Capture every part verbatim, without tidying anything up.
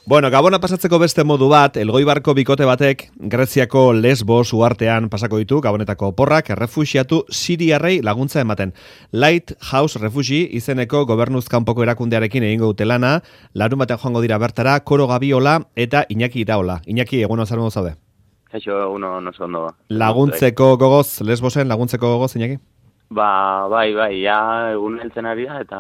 Bueno, Gabona pasatzeko beste modu bat, Elgoibarko bikote batek Greziako Lesbos uhartean pasako ditu, Gabonetako oporrak errefuxiatu siriarrei laguntza ematen. Lighthouse Refugee izeneko gobernuz kanpoko erakundearekin egingo dute lana, larun batean joango dira bertara, Koro Gabiola eta Iñaki Iraola. Iñaki, egun zer modu zaude? Kaixo, uno no ondo. Laguntzeko gogoz, Lesbosen laguntzeko gogoz, Iñaki? Ba, bai, bai, ja egun heltzen ari da, eta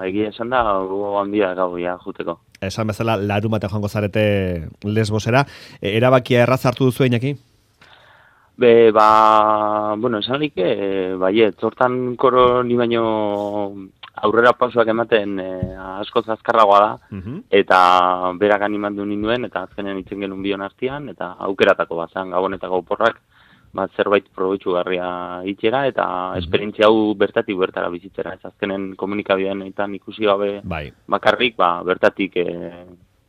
egia esan da, gogo handia gau, ja, juteko. Esan bezala, larun batean joango zarete Lesbosera. E, erabakia erraz hartu duzu, Iñaki? Be, ba, bueno, esan like, e, bai, zortan Koro ni baino aurrera pausoak ematen e, askoz azkarragoa da, uh-huh. eta berak animandu ninduen, eta azkenen itzen genuen bion artean, eta aukeratako bazan Gabonetako oporrak, bat zerbait probetxugarria itxera, eta mm-hmm. esperientzia hau bertatik bertara bizitzera. Ez azkenen komunikabidean eta ikusi gabe bai. bakarrik, ba, bertatik e,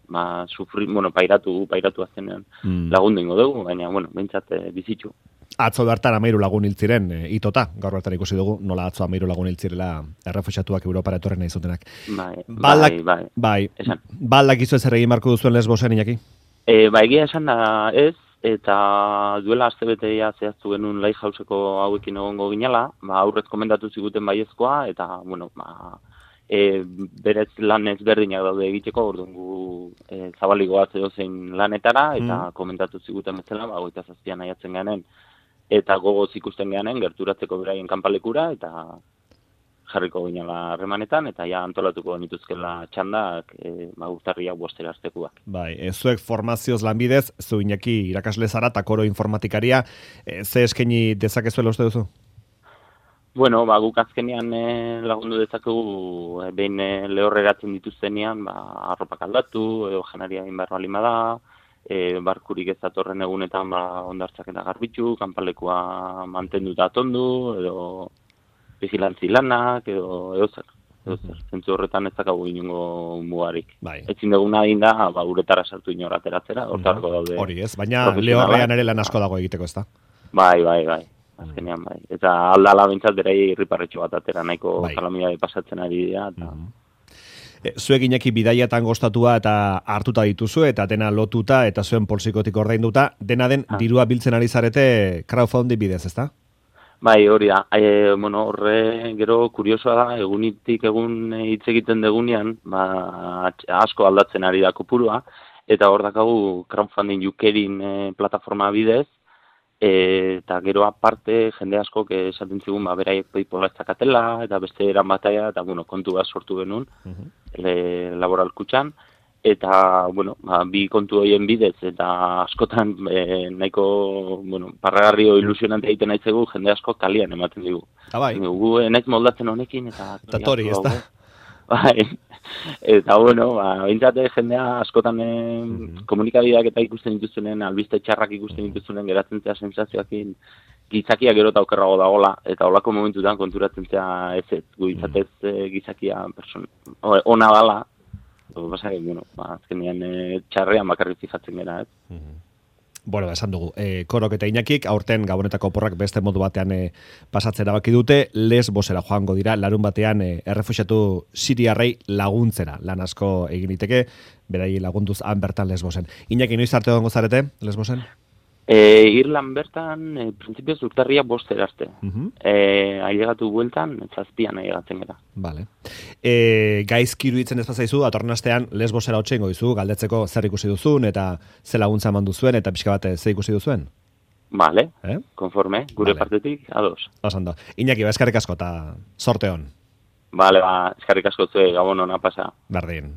ba, sufri, bueno, pairatu, pairatu azkenean mm. lagundu ingo dugu, baina, bueno, behintzat e, bizitxu. Atzo bertan amairu lagun hiltziren, e, itota, gaur bertan ikusi dugu, nola atzo amairu lagun hiltzirela errefuxiatuak Europara etorren nahi zutenak. Bai, Balak, bai, bai. bai. Balak izu ez erregin marko duzuen Lesbosen, Iñaki? E, ba, egia esan da ez, eta duela astebetea zehaztu genuen Lighthouseko hauekin egongo ginela, ba, aurrez komendatu ziguten baiezkoa, eta, bueno, ba, e, berez lan ezberdinak daude egiteko, orduan gu e, zabaligoaz edo zein lanetara, eta mm. komentatu ziguten bezala, ba, goita zazpian aiatzen ganen, eta gogoz ikusten ganen, gerturatzeko beraien kanpalekura, eta jarriko ginela harremanetan, eta ja antolatuko genituzkela txandak e, ba, urtarriak bostera aztekuak. Bai, e, zuek formazioz lanbidez, zu Iñaki irakasle zara, eta Koro informatikaria, e, ze eskaini dezakezuela uste duzu? Bueno, ba, guk azkenean e, lagundu dezakegu, e, behin e, lehorreratzen dituztenean, ba, arropak aldatu, edo janaria egin behar balima da, e, barkurik ez datorren egunetan ba, ondartzak eta garbitzu, kanpalekua mantenduta atondu, edo vigilantzi lanak, edo, edo zer. Edo zer. Zentzu horretan ez dakagu inongo mugarik. Bai. Ezin duguna egin da, ba, uretara sartu inor ateratzera, hortarko daude. Hori ez, baina lehorrean ere lan asko dago egiteko, ez da? Bai, bai, bai. Azkenean, bai. Eta aldala bintzat berei irriparretxo bat atera, nahiko bai. Kalamidade pasatzen ari dira. Eta... E, zuek Iñaki bidaiatan gostatua eta hartuta dituzu, eta dena lotuta, eta zuen poltsikotik ordainduta, dena den ah. dirua biltzen ari zarete crowdfunding bidez, ez da? Bai, hori da. E, bueno, horre gero kuriosoa da, egunitik egun hitz egiten degunean, ba, asko aldatzen ari da kopurua, eta hor dakagu crowdfunding jukerin e, plataforma bidez, e, eta gero aparte jende asko esaten zigun, ba, beraiek paypala ez dakatela, eta beste eran bataia, eta bueno, kontu bat sortu genuen, uh-huh. le, laboral kutxan, eta, bueno, ba, bi kontu horien bidez, eta askotan e, nahiko, bueno, parragarri o ilusionante egiten naitzegu, jende asko kalian ematen digu. Ah, bai. Gu naiz moldatzen honekin, eta... Eta tori, ez da? Bai, eta, bueno, ba, bintzate jendea askotan e, mm-hmm. komunikabideak eta ikusten dituzunen, albiste txarrak ikusten dituzunen, geratzen zea sensazioakin, gizakia gero eta okerrago dagola, eta holako momentutan konturatzen zea ez ez, gu izatez mm-hmm. gizakia person, ona dala, Basa, bueno, azkenean e, txarrean bakarrik fijatzen gara, ez? Mm-hmm. Bueno, esan dugu, e, Korok eta Iñakik, aurten Gabonetako oporrak beste modu batean e, pasatzen erabaki dute, Lesbosera joango dira, larun batean e, errefuxiatu siriarrei laguntzera, lan asko egin liteke, berai lagunduz han bertan Lesbosen. Iñaki, noiz arte egongo zarete, Lesbosen? E, Irlan bertan, e, prinsipioz urtarria bostera arte. Uh-huh. E, ailegatu bueltan, zazpian ailegatzen gara. Vale. E, gaizki iruditzen ez bazaizu, atorren astean Lesbosera hotxengo izu, galdetzeko zer ikusi duzun, eta ze laguntza eman duzuen, eta pixka bat ze ikusi duzuen? Vale, eh? Konforme, gure vale. Partetik, ados. Osando. Iñaki, ba, eskarrik asko, eta sorte hon. Vale, ba, eskarrik asko zue, gabon hona pasa. Berdin.